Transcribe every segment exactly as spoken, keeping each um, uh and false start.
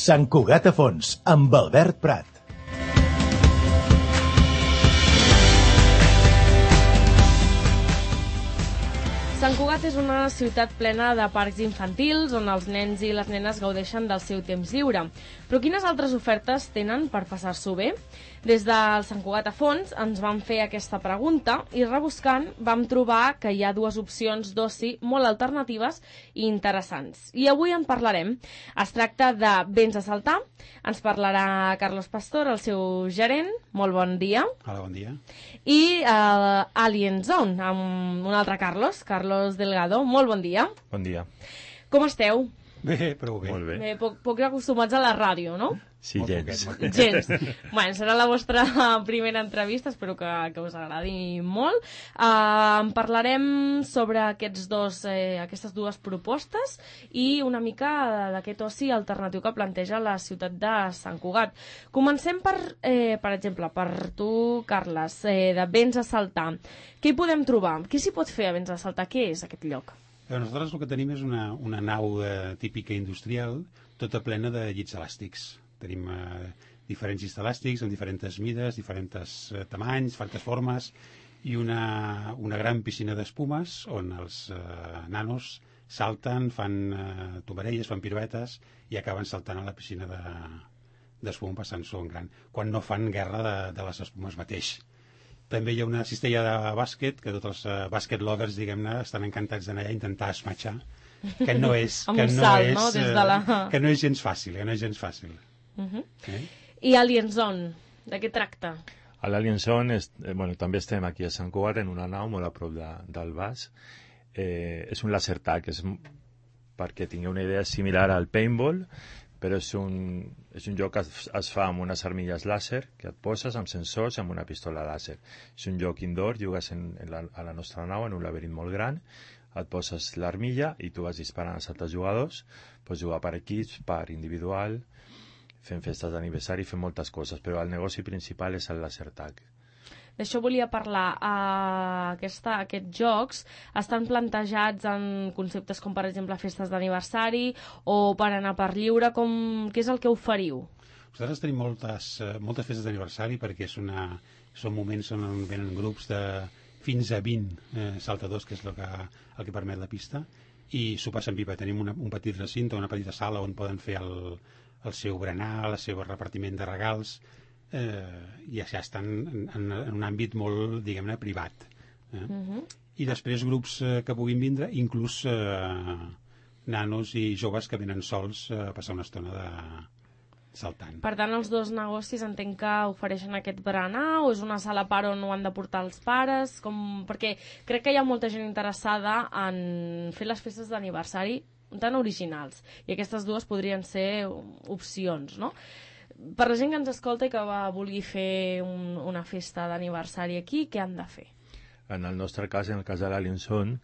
Sant Cugat a Fons, amb Albert Prat. Sant Cugat és una ciutat plena de parcs infantils on els nens i les nenes gaudeixen del seu temps lliure. Però quines altres ofertes tenen per passar-s'ho bé? Des del Sant Cugat a Fons ens vam fer aquesta pregunta i rebuscant vam trobar que hi ha dues opcions d'oci molt alternatives i interessants. I avui en parlarem. Es tracta de Vents a Saltar. Ens parlarà Carlos Pastor, el seu gerent. Molt bon dia. Hola, bon dia. I uh, Alien Zone, amb un altre Carlos, Carlos Delgado. Molt bon dia. Bon dia. Com esteu? Bé, prou bé. Molt bé. Bé, poc, poc acostumats a la ràdio, no? Sí, Molt gens. poquet, molt poquet. Gens. Bueno, serà la vostra primera entrevista, espero que, que us agradi molt. Uh, en parlarem sobre aquests dos, eh, aquestes dues propostes i una mica d'aquest oci alternatiu que planteja la ciutat de Sant Cugat. Comencem per, eh, per exemple, per tu, Carles, eh, de Vents a Saltar. Què hi podem trobar? Què s'hi pot fer a Vents a Saltar? Què és aquest lloc? Però nosaltres el que tenim és una, una nau eh, típica industrial, tota plena de llits elàstics. Tenim eh, diferents llits elàstics amb diferents mides, diferents eh, tamanys, diferents formes, i una, una gran piscina d'espumes on els eh, nanos salten, fan eh, tomarelles, fan piruetes i acaben saltant a la piscina de, d'espuma passant-s'ho en gran, quan no fan guerra de, de les espumes mateix. També hi ha una cistella de bàsquet, que tots els uh, bàsquet lovers, diguem-ne, estan encantats d'anar allà a intentar esmatxar, que no és, Amb que un no salt, és, no? Des de la... que no és gens fàcil, que no és gens fàcil. Uh-huh. Eh? I Alien Zone, de què tracta? A l'Alien Zone, és, eh, bueno, també estem aquí a Sant Cugat, en una nau molt a prop de, del Bas. Eh, és un laser tag, és, perquè tingueu una idea similar al paintball, però és un, és un joc que es, es fa amb unes armilles làser que et poses amb sensors i amb una pistola làser. És un joc indoor, jugues en, en la, a la nostra nau en un laberint molt gran, et poses l'armilla i tu vas disparant als altres jugadors, pots jugar per equips, per individual, fent festes d'aniversari, fent moltes coses, però el negoci principal és el laser tag. D'això volia parlar. Uh, aquesta, aquests jocs estan plantejats en conceptes com, per exemple, festes d'aniversari o per anar per lliure. Com... Què és el que oferiu? Nosaltres tenim moltes, moltes festes d'aniversari perquè és una, són moments on venen grups de fins a vint eh, saltadors, que és el que, el que permet la pista, i s'ho passen pipa. Tenim una, un petit recinte, una petita sala on poden fer el, el seu berenar, el seu repartiment de regals, eh, i ja estan en, en, en un àmbit molt, diguem-ne, privat. Eh? Uh-huh. I després grups eh, que puguin vindre, inclús eh, nanos i joves que venen sols eh, a passar una estona de saltant. Per tant, els dos negocis entenc que ofereixen aquest berenar o és una sala a part on ho han de portar els pares? Com... Perquè crec que hi ha molta gent interessada en fer les festes d'aniversari tan originals i aquestes dues podrien ser opcions, no? Per la gent que ens escolta i que va, vulgui fer un, una festa d'aniversari aquí, què han de fer? En el nostre cas, en el cas de l'Alien Zone,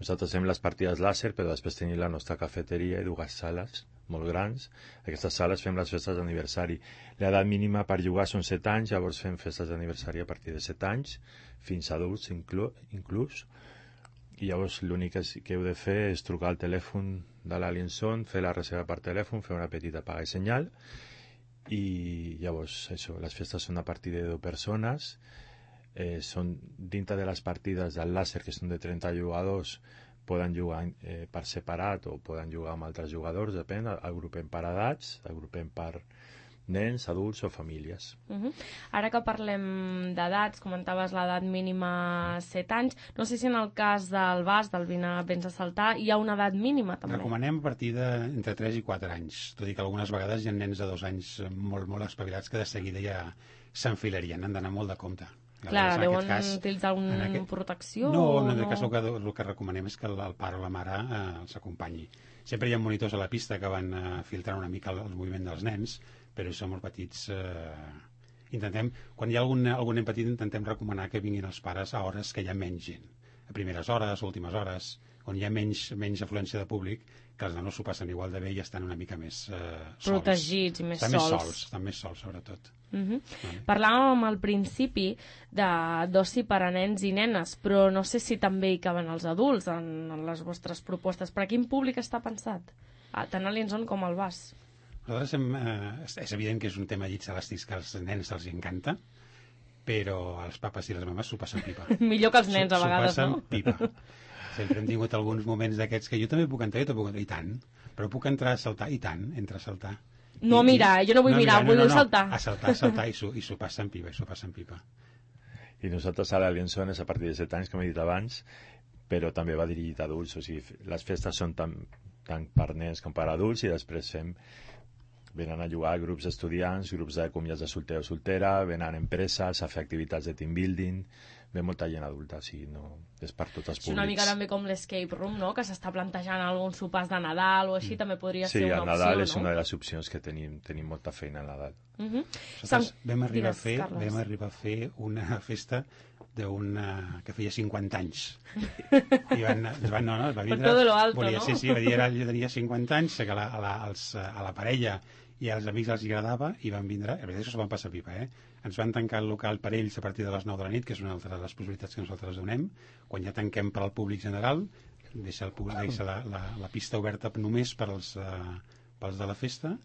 nosaltres fem les partides làser, però després tenim la nostra cafeteria i dues sales molt grans. Aquestes sales fem les festes d'aniversari. L'edat mínima per jugar són set anys, llavors fem festes d'aniversari a partir de set anys, fins a adults inclú, inclús. I llavors l'únic que heu de fer és trucar al telèfon de l'Alien Zone, fer la reserva per telèfon, fer una petita paga i senyal, i llavors això, les festes són a partir de deu persones, eh, són dintre de les partides del làser, que són de trenta jugadors, poden jugar eh, per separat o poden jugar amb altres jugadors, depèn, agrupem per edats, agrupem per nens, adults o famílies. Uh-huh. Ara que parlem d'edats, comentaves l'edat mínima set anys, no sé si en el cas del Bas, del Vents a Saltar, hi ha una edat mínima també. Recomanem a partir de entre tres i quatre anys, tot i que algunes vegades hi ha nens de dos anys molt, molt espavilats que de seguida ja s'enfilarien, han d'anar molt de compte. Clar, deuen utilitzar alguna aquest... protecció? No, o en no? aquest cas el que, el que recomanem és que el, el pare o la mare eh, els acompanyi. Sempre hi ha monitors a la pista que van eh, filtrant una mica el, el moviment dels nens, però si són molt petits eh, intentem, quan hi ha algun, algun nen petit intentem recomanar que vinguin els pares a hores que hi ha menys gent, a primeres hores, últimes hores, on hi ha menys, menys afluència de públic, que els nanos s'ho passen igual de bé i estan una mica més eh, sols. Protegits i més estan sols. Més sols. Estan més sols, sobretot. Uh-huh. Vale. Parlàvem al principi de d'oci per a nens i nenes, però no sé si també hi caben els adults en, en les vostres propostes. Per a quin públic està pensat? Ah, tant a l'Alien Zone com al Bas. Nosaltres hem, eh, és evident que és un tema llits elàstics que als nens els encanta, però els papes i les mames s'ho passen pipa. Millor que els nens, a vegades, S'ho passen no? pipa. Sempre hem tingut alguns moments d'aquests que jo també puc entrar, jo també puc entrar, i tant. Però puc entrar a saltar, i tant, entra a saltar. No I, mirar, jo no vull mirar, vull no, no, saltar. A saltar, a saltar, i s'ho i s'ho passen pipa, i s'ho passen pipa. I nosaltres a l'Aliançon és a partir de set anys, com he dit abans, però també va dirigit a adults, o sigui, les festes són tant, tant per nens com per adults, i després fem, venen a jugar grups d'estudiants, grups de comiats de solter o soltera, venen empreses a fer activitats de team building, ve molta gent adulta, o sigui, no, és per tots els És públics. una mica també com l'escape room, no? Que s'està plantejant alguns sopars de Nadal o així, també podria Sí, ser una el opció, Nadal no? és una de les opcions que tenim, tenim molta feina al Nadal. Uh -huh. Nosaltres vam arribar, Digues, a fer, Carles. vam arribar a fer una festa d'una que feia cinquanta anys. I van, ens van, no, no, va vindre... todo lo alto, volia, no? Sí, sí, va dir, era, jo tenia cinquanta anys, que a la, a la, als, a la parella i als amics els agradava, i van vindre, la veritat és que s'ho van passar pipa, eh? Ens van tancar el local per ells a partir de les nou de la nit, que és una altra de les possibilitats que nosaltres donem. Quan ja tanquem per al públic general, deixa, el, deixa la, la, la pista oberta només per als, uh, pels de la festa,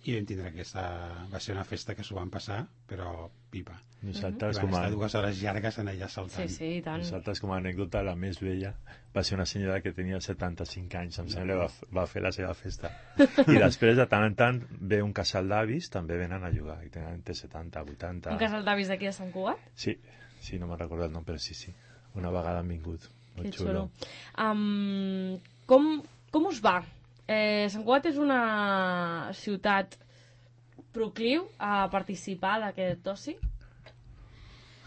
i vam tindre aquesta... Va ser una festa que s'ho van passar, però pipa. Nosaltres, I van com a, estar dues hores llargues en allà Sí, saltant. sí, i tant. nosaltres, com a anècdota, la més vella va ser una senyora que tenia setanta-cinc anys, em sembla, va, va fer la seva festa. I després, de tant en tant, ve un casal d'avis, també venen a jugar, i tenen entre setanta, vuitanta... Un casal d'avis d'aquí de Sant Cugat? Sí, sí, no me'n recordo el nom, però sí, sí. Una vegada han vingut. Molt Que xulo. xulo. Um, com, com us va? Eh, Sant Cugat és una ciutat procliu a participar d'aquest oci?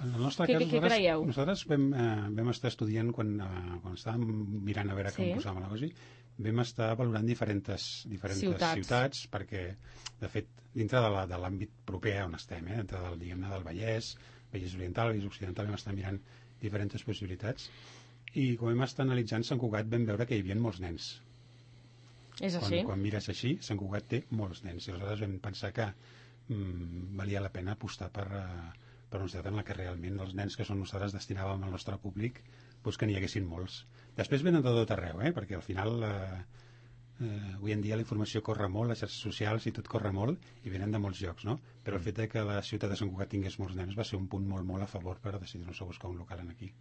En el nostre Què- cas, què- què nosaltres, creieu? nosaltres vam, eh, vam estar estudiant, quan, eh, quan estàvem mirant a veure Sí. com posàvem la cosa, vam estar valorant diferents, diferents Ciutats. ciutats. perquè, de fet, dintre de la- de l'àmbit proper on estem, eh, dintre del, diguem-ne, del Vallès, Vallès Oriental, Vallès Occidental, vam estar mirant diferents possibilitats, i quan vam estar analitzant Sant Cugat vam veure que hi havia molts nens. És Quan, així? quan mires així, Sant Cugat té molts nens, i aleshores vam pensar que mm, valia la pena apostar per, uh, per una ciutat en la que realment els nens que són nosaltres destinàvem al nostre públic, doncs que n'hi haguessin molts. Després venen de tot arreu, eh? Perquè al final eh, eh, avui en dia la informació corre molt, les xarxes socials i tot corre molt, i venen de molts llocs, no? Però el fet de que la ciutat de Sant Cugat tingués molts nens va ser un punt molt, molt a favor per decidir-nos a buscar un local aquí.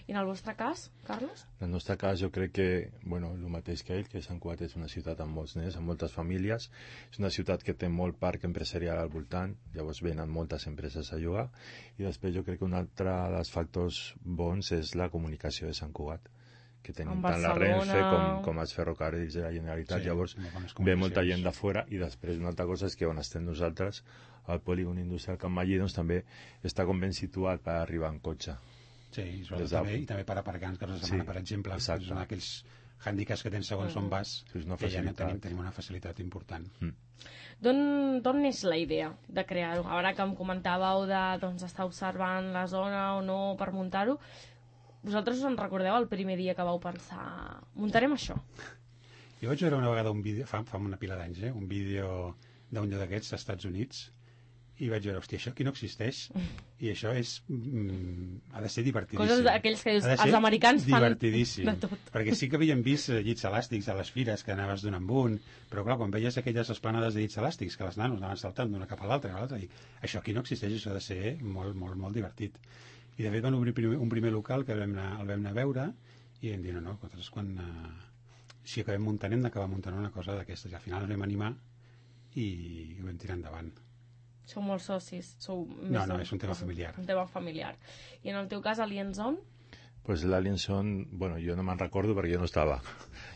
I en el vostre cas, Carles? En el nostre cas, jo crec que, bueno, el mateix que ell, que Sant Cugat és una ciutat amb molts nens, amb moltes famílies, és una ciutat que té molt parc empresarial al voltant, llavors venen moltes empreses a jugar, i després jo crec que un altre dels factors bons és la comunicació de Sant Cugat, que tenim Amb tant la Barcelona. Renfe com, com els ferrocarrils de la Generalitat, Sí, llavors molt bones ve molta comunicacions. gent de fora, i després una altra cosa és que on estem nosaltres, al polígon industrial Can Mallí, doncs també està com ben situat per arribar en cotxe. Sí, i, Des sobretot de- també, i també per aparcar els caps de setmana, Sí, per exemple, exacte. són aquells hàndicaps que tens segons on vas, És una que ja no facilitat. tenim, tenim una facilitat important. D'on d'on neix la idea de crear-ho? Ara que em comentàveu de doncs, estar observant la zona o no per muntar-ho, vosaltres us en recordeu el primer dia que vau pensar muntarem això? Jo vaig veure una vegada un vídeo, fa, fa una pila d'anys, eh, un vídeo d'un lloc d'aquests als Estats Units, i vaig veure, hòstia, això aquí no existeix, i això és... Mm, ha de ser divertidíssim. Coses d'aquells que dius, Ha de ser els americans fan divertidíssim, de tot. perquè sí que havíem vist eh, llits elàstics a les fires que anaves d'un en un, però clar, quan veies aquelles esplanades de llits elàstics que les nanos anaven saltant d'una cap a l'altra, a l'altra, i això aquí no existeix, això ha de ser molt, molt, molt divertit. I de fet van obrir primer, un primer local que vam anar, el vam anar a veure, i vam dir, no, no, nosaltres quan... Eh, si acabem muntant hem d'acabar muntant una cosa d'aquestes, i al final ens vam animar i ho vam tirar endavant. Sou molts socis? Sou més No, no, de- és un tema familiar. Un tema familiar. I en el teu cas, Alienzon? Pues l'Alienson, bueno, jo no me'n recordo perquè jo no estava.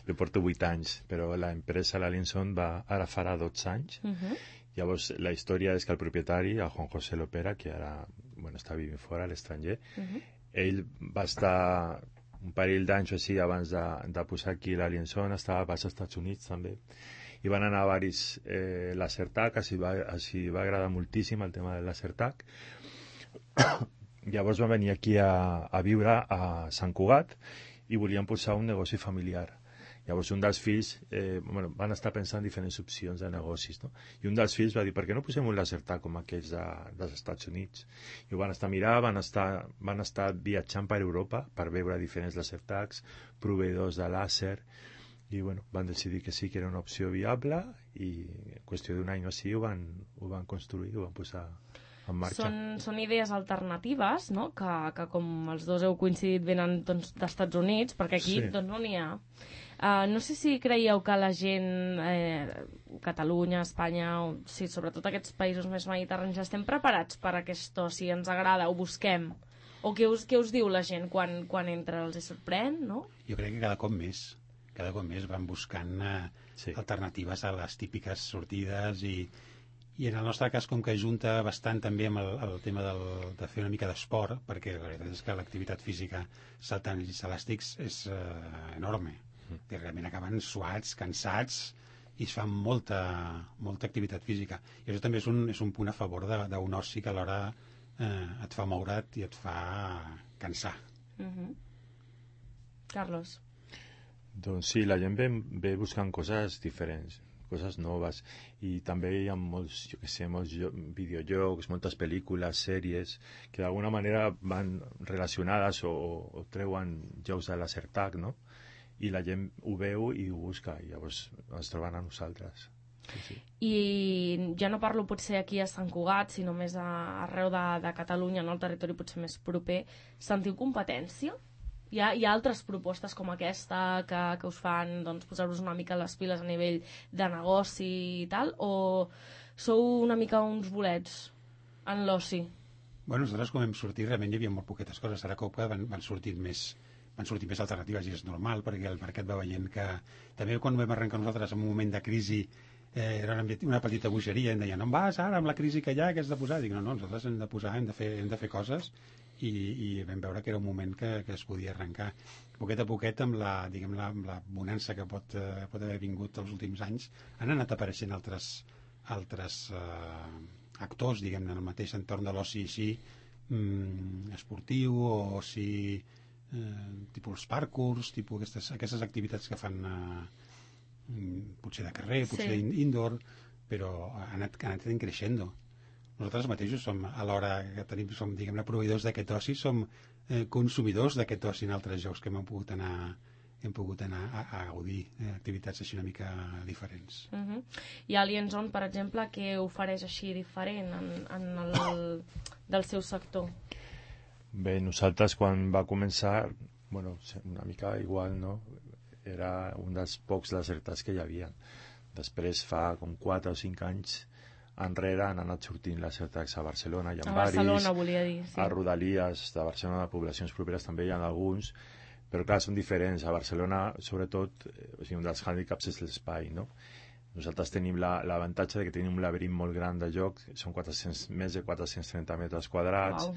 Jo porto vuit anys, però l'empresa l'Alienson va, ara farà dotze anys. Uh -huh. Llavors, la història és que el propietari, el Juan José Lopera, que ara bueno, està vivint fora, a l'estranger, Uh -huh. ell va estar un parell d'anys o així abans de, de posar aquí l'Alienson, estava als Estats Units també, i van anar a varis eh, lasertag, així va, així va agradar moltíssim el tema del lasertag. Llavors va venir aquí a, a viure a Sant Cugat i volien posar un negoci familiar. Llavors un dels fills, eh, bueno, van estar pensant diferents opcions de negocis, no? I un dels fills va dir, per què no posem un lasertag com aquells de, dels Estats Units? I ho van estar mirant, van estar, van estar viatjant per Europa per veure diferents lasertags, proveïdors de làser, i bueno, van decidir que sí que era una opció viable i en qüestió d'un any o així ho van, ho van construir, ho van posar en marxa. Són, són idees alternatives, no? que, que com els dos heu coincidit venen doncs, d'Estats Units, perquè aquí Sí. doncs, no n'hi ha. Uh, no sé si creieu que la gent, eh, Catalunya, Espanya, o, sí, sobretot aquests països més mediterranis, estem preparats per aquest oci, ens agrada, ho busquem. O què us, què us diu la gent quan, quan entra? Els hi sorprèn, no? Jo crec que cada cop més, cada cop més van buscant eh, Sí. alternatives a les típiques sortides i, i en el nostre cas com que junta bastant també amb el, el tema del, de fer una mica d'esport, perquè la veritat és que l'activitat física saltant els elàstics és eh, enorme. Mm. I realment acaben suats, cansats i es fa molta, molta activitat física. I això també és un, és un punt a favor de- d'un oci que alhora eh, et fa moure't i et fa cansar. Uh-huh. Carlos. Doncs sí, la gent ve, ve buscant coses diferents, coses noves, i també hi ha molts, jo què sé, molts jo- videojocs, moltes pel·lícules, sèries, que d'alguna manera van relacionades o, o treuen jocs de laser tag, no? I la gent ho veu i ho busca, i llavors ens troben a nosaltres. Sí, sí. I ja no parlo potser aquí a Sant Cugat, sinó més a, arreu de, de Catalunya, no? El territori potser més proper. Sentiu competència? Hi ha, hi ha altres propostes com aquesta que, que us fan doncs, posar-vos una mica les piles a nivell de negoci i tal? O sou una mica uns bolets en l'oci? Bueno, nosaltres com hem sortit realment hi havia molt poquetes coses. Ara cop van, van sortir més van sortir més alternatives i és normal perquè el mercat va veient que també quan vam arrencar nosaltres en un moment de crisi eh, era una, una petita bogeria, em deien on vas ara amb la crisi que hi ha, què has de posar? Dic, no, no, nosaltres hem de posar, hem de fer, hem de fer coses i, i vam veure que era un moment que, que es podia arrencar poquet a poquet amb la, diguem, la, amb la bonança que pot, eh, pot haver vingut els últims anys. Han anat apareixent altres, altres eh, actors, diguem-ne, en el mateix entorn de l'oci així mm, esportiu o oci eh, tipus els parkours, tipus aquestes, aquestes activitats que fan eh, potser de carrer, potser Sí. sí. indoor, però ha anat, ha anat creixent. Nosaltres mateixos som, alhora que tenim, som, diguem-ne, proveïdors d'aquest oci, som eh, consumidors d'aquest oci en altres jocs que hem pogut anar hem pogut anar a, a gaudir eh, activitats així una mica diferents. Uh -huh. I Alien Zone, per exemple, què ofereix així diferent en, en el del seu sector? Bé, nosaltres quan va començar, bueno, una mica igual, no? Era un dels pocs lasertats que hi havia. Després, fa com quatre o cinc anys enrere, han anat sortint lasertacs a Barcelona, hi ha A varis, Barcelona, volia dir, sí. a Rodalies de Barcelona, de poblacions properes també hi ha alguns, però clar, són diferents. A Barcelona, sobretot, eh, o sigui, un dels hàndicaps és l'espai, no? Nosaltres tenim l'avantatge la, de que tenim un laberint molt gran de joc, són quatre-cents, més de quatre-cents trenta metres quadrats, Uau.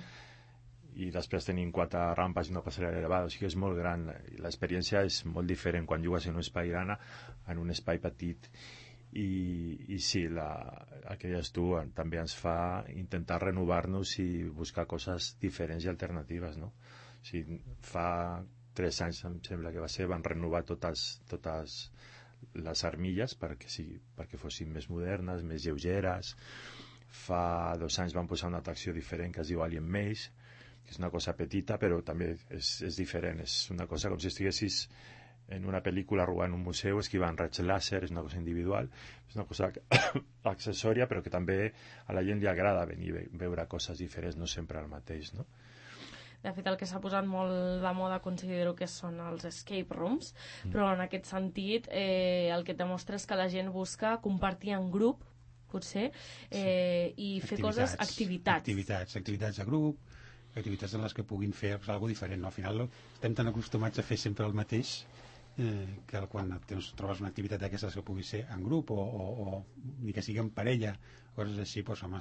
i després tenim quatre rampes i una passarel·la elevada, o sigui que és molt gran. L'experiència és molt diferent quan jugues en un espai gran en un espai petit. I, i sí, la, el que deies tu també ens fa intentar renovar-nos i buscar coses diferents i alternatives, no? O sigui, fa tres anys, em sembla que va ser, van renovar totes, totes les armilles perquè, sí, perquè fossin més modernes, més lleugeres. Fa dos anys van posar una atracció diferent que es diu Alien Maze, que és una cosa petita però també és, és diferent, és una cosa com si estiguessis en una pel·lícula robant un museu, esquivant raigs làser, és una cosa individual, és una cosa accessòria però que també a la gent li agrada venir a veure coses diferents, no sempre el mateix, no? De fet, el que s'ha posat molt de moda considero que són els escape rooms, mm. però en aquest sentit eh, el que et demostra és que la gent busca compartir en grup, potser, eh, i fer coses, activitats. Activitats, activitats de grup, activitats en les que puguin fer alguna diferent. No? Al final estem tan acostumats a fer sempre el mateix eh, que quan tens, trobes una activitat d'aquestes que pugui ser en grup o, o, o ni que sigui en parella, coses així, doncs, home,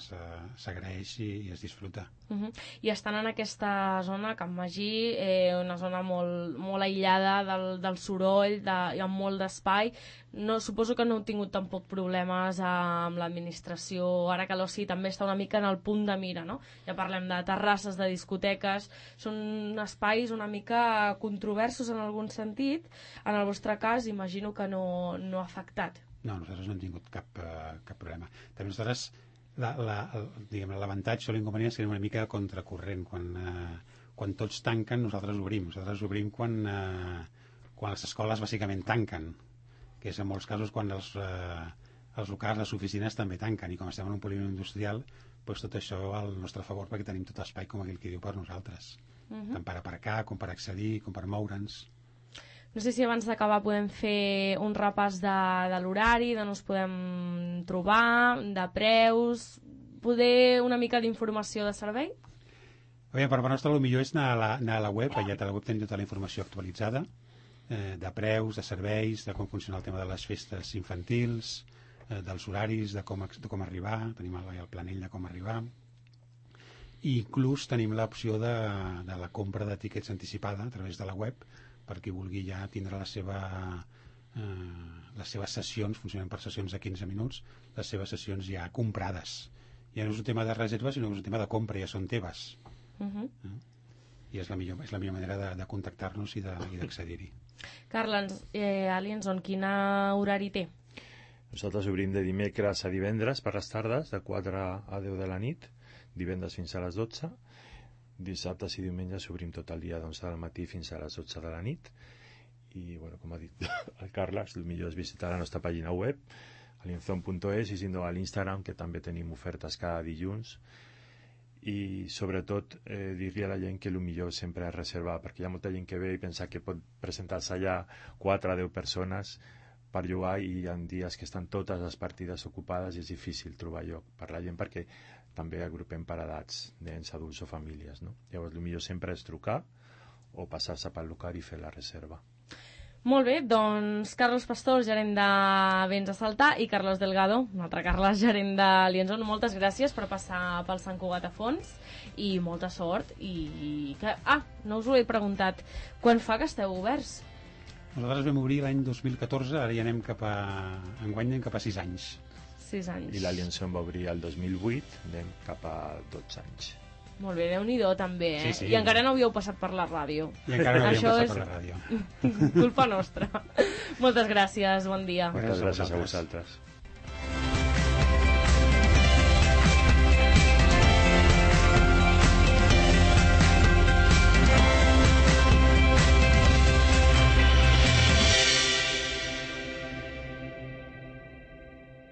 s'agraeix i, i es disfruta. Uh -huh. I estan en aquesta zona, Can Magí, eh, una zona molt, molt aïllada del, del soroll, de, hi ha molt d'espai. No, suposo que no heu tingut tampoc problemes amb l'administració, ara que l'oci també està una mica en el punt de mira, no? Ja parlem de terrasses, de discoteques, són espais una mica controversos en algun sentit. En el vostre cas, imagino que no, no ha afectat. No, nosaltres no hem tingut cap, uh, cap problema. També nosaltres, l'avantatge o l'inconvenient és que anem una mica contracorrent. Quan, uh, quan tots tanquen, nosaltres obrim. Nosaltres obrim quan, uh, quan les escoles bàsicament tanquen. que és en molts casos quan els, eh, els locals, les oficines també tanquen, i com estem en un polígon industrial, doncs tot això al nostre favor, perquè tenim tot l'espai, com aquell que diu, per nosaltres. Uh-huh. Tant per aparcar, com per accedir, com per moure'ns. No sé si abans d'acabar podem fer un repàs de, de l'horari, d'on ens podem trobar, de preus, poder una mica d'informació de servei? Bé, per part nostra el millor és anar a la, anar a la web, allà a la web tenim tota la informació actualitzada, eh, de preus, de serveis, de com funciona el tema de les festes infantils, eh, dels horaris, de com, de com arribar, tenim el, el planell de com arribar, i inclús tenim l'opció de, de la compra de tiquets anticipada a través de la web, per qui vulgui ja tindre la seva, eh, les seves sessions, funcionen per sessions de quinze minuts, les seves sessions ja comprades. Ja no és un tema de reserva, sinó que és un tema de compra, ja són teves. Uh-huh. eh? I és la millor, és la millor manera de, de contactar-nos i d'accedir-hi. Carles, eh, Alienson, quin horari té? Nosaltres obrim de dimecres a divendres per les tardes, de quatre a deu de la nit, divendres fins a les dotze, dissabtes i diumenges obrim tot el dia d'onze del matí fins a les dotze de la nit, i bueno, com ha dit el Carles, el millor és visitar la nostra pàgina web, alienzon punt es, i si no a l'Instagram, que també tenim ofertes cada dilluns, i sobretot eh, dir-li a la gent que el millor sempre és reservar, perquè hi ha molta gent que ve i pensa que pot presentar-se allà quatre a deu persones per jugar, i hi ha dies que estan totes les partides ocupades i és difícil trobar lloc per la gent, perquè també agrupem per edats, nens, adults o famílies, no? Llavors el millor sempre és trucar o passar-se pel local i fer la reserva. Molt bé, doncs Carlos Pastor, gerent de Béns a Saltar, i Carlos Delgado, un altre Carles, gerent de Lienzon, moltes gràcies per passar pel Sant Cugat a fons i molta sort. I que... Ah, no us ho he preguntat, quan fa que esteu oberts? Nosaltres vam obrir l'any dos mil catorze, ara ja anem cap a... enguany anem cap a sis anys. sis anys. I la Lienzon va obrir el dos mil vuit, anem cap a dotze anys. Molt bé, Déu-n'hi-do també, eh? Sí, sí. I encara no havíeu passat per la ràdio. I encara no havíem Això passat és... per la ràdio. culpa nostra. Moltes gràcies, bon dia. Moltes gràcies a vosaltres.